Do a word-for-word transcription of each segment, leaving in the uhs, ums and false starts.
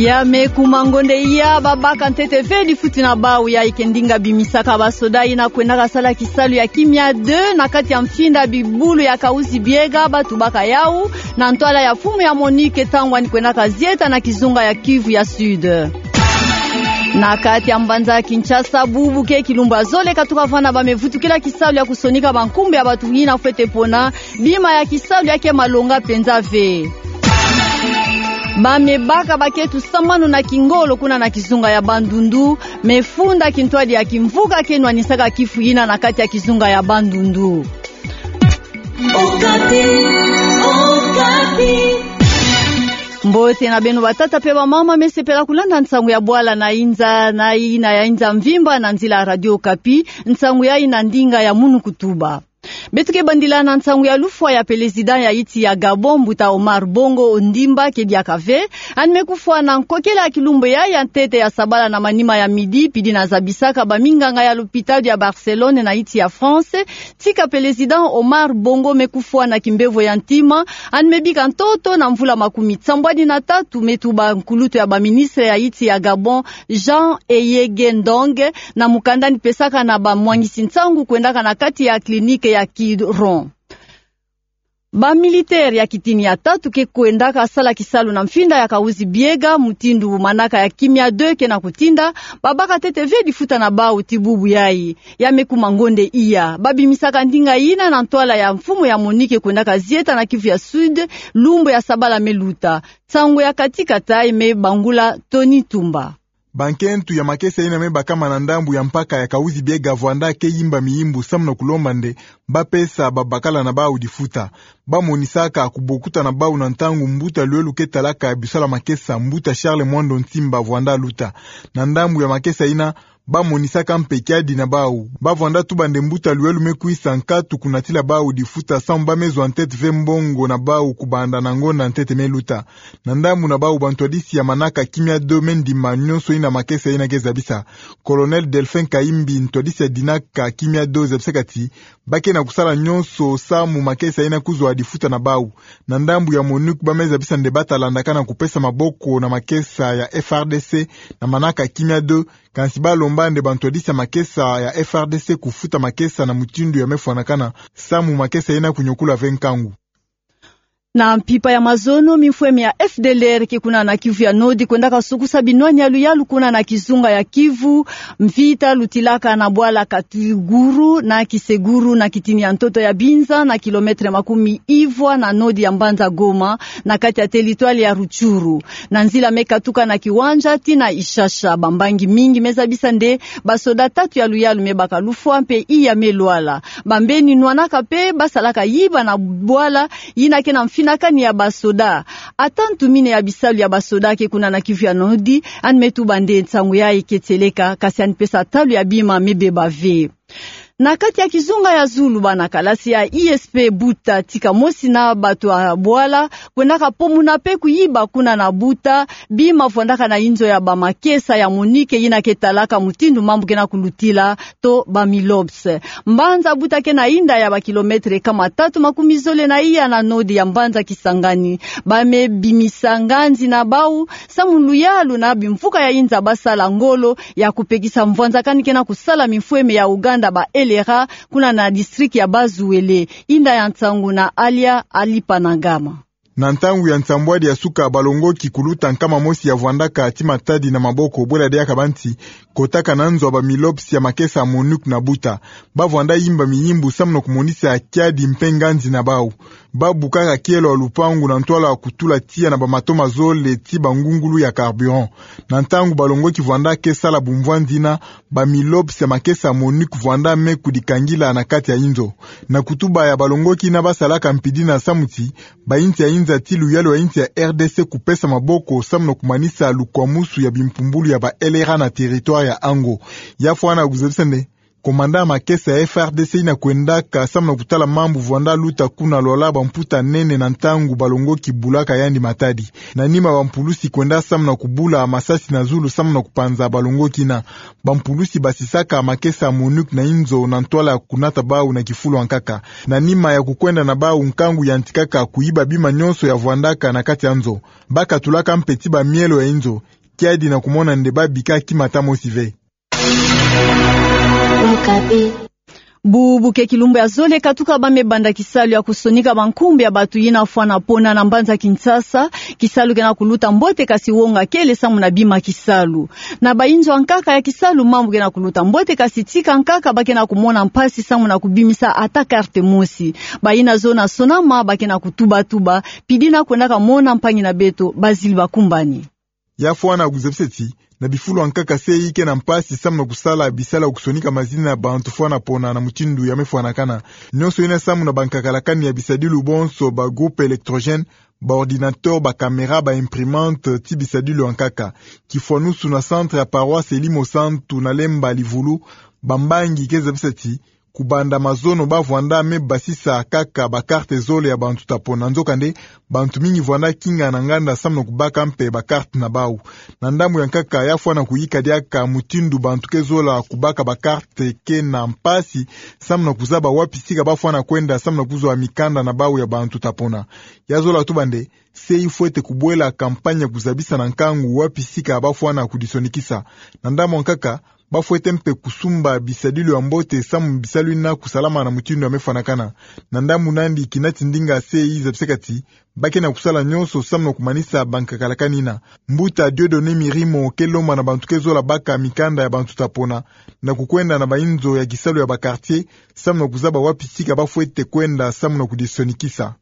Ya me kuma ngonde iya, babaka ntete ve difuti na bau ya ike ndinga bimisaka basoda ina kwendaka sala kisalu ya kimia deux na kati ya mfinda bibulu ya Kahuzi-Biega, batubaka yau na ntwala ya mfumu ya MONUC ntangu ani kwendaka zieta na kizunga ya Kivu ya Sud. Na kati ya mbanza Kinshasa, bubu ke kilumbu ya zole katuka vwanda ba me vutukila kisalu ya kusonika bankumbu ya bantu ina fwete pona bima ya kisalu ya ke malonga mpenza ve. Ba me baka bakento samanu na kingolo kuna na kizunga ya Bandundu me funda kintwadi ya kimvuka ke nwanisaka kifu ina na kati ya kizunga ya Bandundu. Okapi, Okapi. Mbote na beno batata pe bamama, me sepela kulanda nsangu ya bwala na inza, na ina ya inza mvimba na nzila Radio Okapi, nsangu ya ina ndinga ya munu kutuba. Beto ke bandila na nsangu ya lufwa ya pelezida ya iti ya Gabon, mbuta Omar Bongo Ondimba, ke diaka ve ani me kufwa na nkokela ya kilumbu ya ya ntete ya sabala na manima ya midi, pidi na zabisaka baminganga ya lopitalo ya Barcelone na iti ya France, tika pelezida Omar Bongo me kufwa na kimbevo ya ntima, ani me bika ntoto na mvula makumi tsambwadi na tatu, me tuba nkulutu ya baministre ya iti ya Gabon, Jean Eyege Ndong, na mukanda ani pesaka na bamwangisi nsangu kwendaka na kati ya clinique ya Quiberon. Bamilitaire ya kitini ya tatu ke kwendaka sala kisalu na mfinda ya Kahuzi-Biega, mutindu manaka ya kimia deux ke na kutinda, babaka ntete ve difuta na bau ti bubu yai. Ya me kuma ngonde iya, babimisaka ndinga ina na ntwala ya mfumu ya MONUC kwendaka zieta na Kivu ya Sud, lumbu ya sabala me luta. Nsangu ya katikata me bangula Tony Tumba. Bankento ya makesa ina me bakama na ndambu ya mpaka ya Kahuzi-Biega vwanda ke yimba miyimbu samu na kulomba nde bapesa babakala na bau difuta. Bamonisaka kubokuta na bau na ntangu mbuta lwelu ke talaka bisala makesa, mbuta Charles Mwando Nsimba, vwanda luta. Na ndambu ya makesa ina, bamonisaka mpe kiadi na bau. Bavwanda tuba nde mbuta lwelu me kwisa nkatu kunatila bau difuta samu ba me zwa ntete ve mbongo na bau kubanda na ngonda ntete me luta. Na ndambu na bau, bantwadisi ya manaka kimia deux me ndima nyonso ina makesa ina ke zabisa. Colonel Delphin Kayimbi, ntwadisi ya dinaka kimia deux, zabisaka ti ba ke na kusala nyonso samu makesa ina kuzwa difuta na bau. Na ndambu ya MONUC, ba me zabisa nde bata landakana kupesa maboko na makesa ya F R D C na manaka kimia deux, kansi balomba nde bantwadisi ya makesa ya F R D C kufuta makesa na mutindu ya me fwanakana samu makesa ina kunyokula ve nkangu. Na mpimpa ya mazono, mimfweme ya F D L R ke kuna na Kivu ya Nord kwendaka sukusa binwani ya luyalu kuna na kizunga ya Kivu. Mvita lutilaka na bwala Katuguru na Kiseguru na kitini ya ntoto ya Binza, na kilomètre makumi ivwa na nord ya mbanza Goma, na kati ya territoire ya Rutshuru. Na nzila me katuka na Kiwanja tii na Ishasha, bambangi mingi me zabisa nde basoda tatu ya luyalu me baka lufwa mpe iya me lwala. Bambeni nwanaka mpe basalaka yiba na bwala ina ke na mfinakani ya basoda. Ata ntumine ya bisalu ya basoda ke kuna na Kivu ya Nord, ani me tuba nde nsangu yai ke tieleka, kasi ani pesa talu ya bima me beba ve. Na kati ya kizunga ya zulu, bana kalasi ya I S P Buta tika mosi na bato ya bwala kwendaka pomuna mpe kuyiba kuna na Buta bima vwandaka na inzo ya bamakesa ya MONUC ina ke talaka mutindu mambu ke na kulutila to ba MILOPS. Mbanza Buta ke na inda ya bakilomètre kama tatu makumi zole na iya na nord ya mbanza Kisangani. Ba me bimisa nganzi na bau samu luyalu na bimvuka ya inza basala ngolo ya kupekisa mvwanzakani ke na kusala mimfweme ya Ouganda ba L R A kuna na district ya Bas-Uele. Inda ya nsangu na Alia Alipanagama. Na ntangu ya nsambwadi ya suka, balongoki kuluta nkama mosi ya vwandaka ti matadi na maboko, bwela diaka banti kotaka na nzo ya ba MILOPS ya makesa ya MONUC na Buta. Ba vwanda yimba miyimbu samu na kumonisa kiadi mpe nganzi na bau. Ba bukaka kielo ya lupangu na ntwala ya kutula tiya na bamato mazole ti bangungulu ya carburant. Na ntangu balongoki vwanda ke sala bumvwanzi ina, ba MILOPS ya makesa ya MONUC vwanda me kudikangila na kati ya inzo. Na kutuba ya balongoki ina basalaka mpidi na samu ti ba insi ya inza ti luyalu ya insi ya R D C kupesa maboko samu na kumanisa lukwamusu ya bimpumbulu ya ba L R A na territoire ya ango. Ya fwana kuzabisa nde Commandant ya makesa ya F A R D C ina kwendaka samu na kutala mambu vwanda luta kuna Lualaba mputa nene na ntangu balongoki bulaka yandi matadi. Na nima bampulusi kwenda samu na kubula masasi na zulu samu na kupanza balongoki ina. Bampulusi basisaka makesa ya MONUC na inzo na ntwala ya kunata bau na kifulu ya nkaka. Na nima ya kukwenda na bau, nkangu yantikaka kuyiba bima nyonso ya vwandaka na kati ya nzo. Bakatulaka mpe ti bamielo ya inzo, kiadi na kumona nde babika kimata mosi ve. Bubu ke kilumbu ya zole katuka ba me banda kisalu ya kusonika bankumbu ya batu yina fwana pona na mbanza Kinshasa. Kisalu kena kuluta mbote kasi wonga kele samu na bima kisalu. Na bainzo ya nkaka ya kisalu mambu kena kuluta mbote kasi tika nkaka ba kena kumona mpasi samu na kubimisa ata carte mosi. Bayina zona sonama ba kena kutubatuba, pidi na kwendaka mona mpangi na beto Bazili Bakumbani. Ya fwana kuzabisa ti, na bifulu ya nkaka se yi kena mpasi samu na kusala bisalu ya kusonika mazina ya bantu fwana pona na mutindu ya me fwanakana. Nyonso yina samu na bankakalakani ya bisadilu bonso, ba groupe électrogène, ba ordinateur, ba caméra, ba imprimante, ti bisadilu ya nkaka. Kifwanusu na centre ya paroisse Elimo Santu na Lemba Livulu, bambangi ke zabisa ti, kubanda mazono ba vwanda me basisa kaka ba carte zole ya bantu ta pona. Nzokande, bantu mingi vwanda kinga na nganda samu na kubaka mpe ba carte na bau. Na ndambu ya nkaka, ya fwana kuyika diaka mutindu bantu ke zola kubaka ba carte kena mpasi samu na kuzaba wapi sika ba fwana kwenda samu na kuzwa mikanda na bau ya bantu ta pona. Ya zola tuba nde, se yi fwete kubwela campagne ya kuzabisa na nkangu wapi sika ba fwana kudisonikisa. Na ndambu ya nkaka, ba fwete mpe kusumba bisadilu ya mbote samu bisalu yina kusalama na mutindu ya me fwanakana. Na ndambu nandi kina tindinga se yi zabisaka ti, ba kena kusala nyonso samu na kumanisa bankakalakani yina. Mbuta Dieudonné Mirimo ke lomba na bantu ke zola baka mikanda ya bantu ta pona, na kukwenda na bainzo ya kisalu ya ba quartier, samu na kuzaba wapi sika ba fwete kwenda samu na kudisonikisa.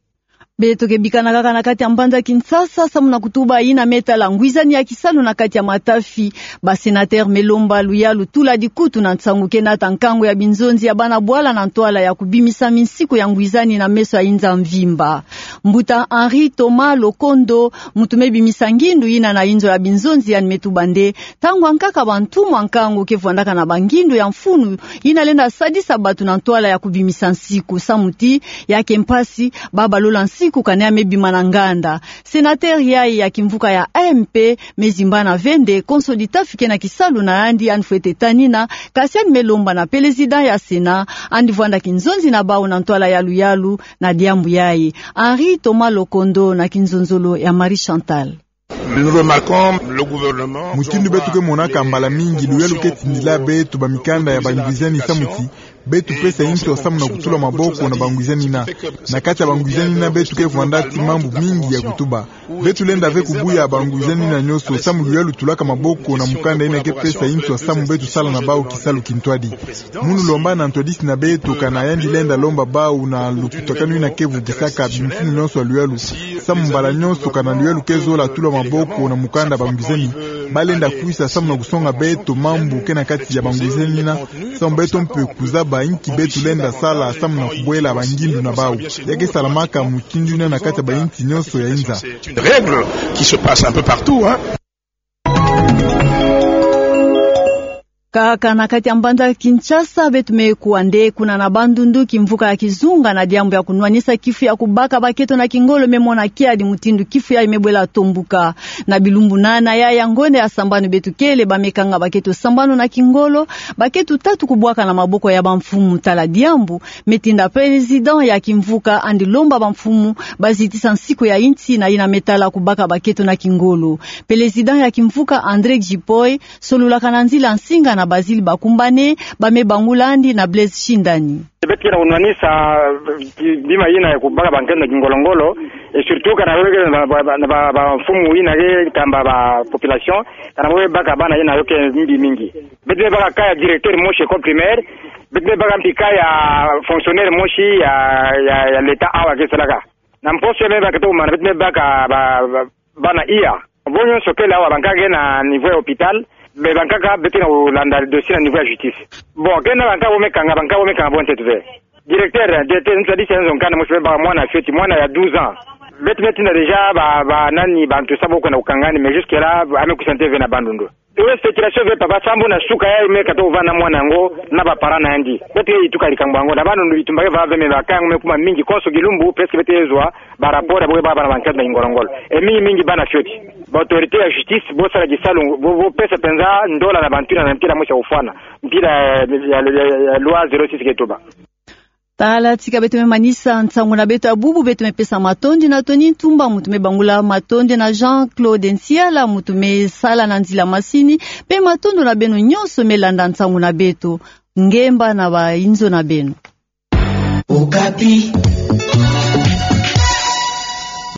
Beto ke bikana kaka na kati ya mbanza Kinshasa, samu na kutuba yina me tala ngwizani ya kisalu na kati ya matafi. Ba sénateur me lomba luyalu tula dikutu na nsangu ke nata nkangu ya binzonzi ya bana bwala na ntwala ya kubimisa minsiku ya ngwizani na meso ya inza mvimba. Mbuta Henri Thomas Lokondo, muntu me bimisa ngindu yina na inzo ya binzonzi, yandi me tuba nde, ntangu ya nkaka bantumwa nkangu ke vwandaka na bangindu ya mfunu yina lenda sadisa batu na ntwala ya kubimisa nsiku, samu ti, ya ke mpasi, ba balola nsiku kana ya me bima na nganda. Sénateur yayi ya kimvuka ya M P me zimbana ve nde konso ditafi kena kisalu na yandi, yandi fwete tanina, kasi yandi me lomba na président ya Sénat, yandi vwanda kinzonzi na bau na ntwala ya luyalu na diambu yayi. Henri Thomas Lokondo na kinzonzolo ya Marie Chantal. Nous remarquons le gouvernement. Mutindu beto ke monaka mbala mingi, luyalu ke tindila beto ba mikanda ya bangwizani, samu ti, beto pesa inzo samu na kutula maboko na bangwizani yina. Na kati ya bangwizani yina beto ke vwanda ti mambu mingi ya kutuba. Beto lenda ve kubuya bangwizani yina nyonso, samu luyalu tulaka maboko na mukanda yina ke pesa inzo samu beto sala na bau kisalu kintwadi. Munu lomba na ntwadisi na beto kana yandi lenda lomba bau na lukutakanu yina ke vukisaka bimfumu nyonso ya luyalu. Samu mbala nyonso kana luyalu ke zola tula maboko na mukanda bangwizani, ba lenda kwisa samu na kusonga beto mambu ke na kati ya bangwizani yina, samu beto mpe kuzaba inki beto lenda sala samu na kubwela bangindu na bau. Ya ke salamaka mutindu yina na kati ya bayinsi nyonso ya inza. Règles qui se passent un peu partout, hein. Kaka na kati ya mbanza Kinshasa, beto me kuwa nde kuna na Bandundu, kimvuka ya kizunga na diambu ya kunwanisa kifu ya kubaka baketo na kingolo me mona kiadi mutindu kifu yayi me bwela tombuka. Na bilumbu nana yayi ya ngonda ya sambanu beto kele ba me kanga baketo sambanu na kingolo, baketo tatu kubwaka na maboko ya bamfumu. Tala diambu me tinda président ya kimvuka yandi lomba bamfumu ba zitisa nsiku ya insi na yina me tala kubaka baketo na kingolo. Président ya kimvuka André Gipoi, solulaka na nzila nsinga na Bazili Bakumbane, ba me bangula yandi na Blaise Shindani. Beto ke na kunwanisa, eh, bima yina ya kubaka baketo na kingolo-ngolo, et surtout kana wele na ba, ba, ba, ba, bamfumu yina ke kamba ba population, kana wele baka bana yina yo ke mbi mingi. Beto me baka cas ya directeur mosi école primaire, beto me baka mpi cas ya fonctionnaire mosi ya, ya, ya l'État awa ke salaka. Na mposo ya me baka toma, beto me baka ba, ba, bana iya. Bo nyonso kele awa, bankaka ke na niveau ya hôpital, mais bankaka beto ke na kulanda dossier na niveau ya justice. Bon, ke na bankaka bo me kanga, bankaka bo me kanga bo ntete ve. Directeur, directeur, ntwadisi ya nzo nkanda mosi me baka mwana fioti, mwana ya douze ans. Beto me tinda déjà ba, ba nani, bantu sa bo kwenda kukanga ni, mais jusque là, ame kwisa nte ve na Bandundu. Yo, spéculation ve papa, sambu na suka yayi me kata kuvanda mwana yango na ba parents na yandi. Beto ye tuka likambo yango, na Bandundu bitumba ke va ve, mais ba cas yango me kuma mingi, konso kilumbu, presque beto ye zwa ba rapport ya bo ke baka bana ba enquête na kingolo-ngolo. Et mingi mingi bana fioti. Ba autorités ya justice, bo sala kisalu, bo, bo pesa penza ndola na bantu na mpila mosi ya kufwana. Mpila ya, ya, ya, ya loi zéro six ke tuba. Tala tika beto me manisa nsangu na beto ya bubu, beto me pesa matondi na Tony Ntumba, muntu me bangula matondi, na Jean-Claude Nsiala, muntu me sala na nzila masini, mpe matondo na beno nyonso me landa nsangu na beto. Ngemba na bainzo na beno. Okapi.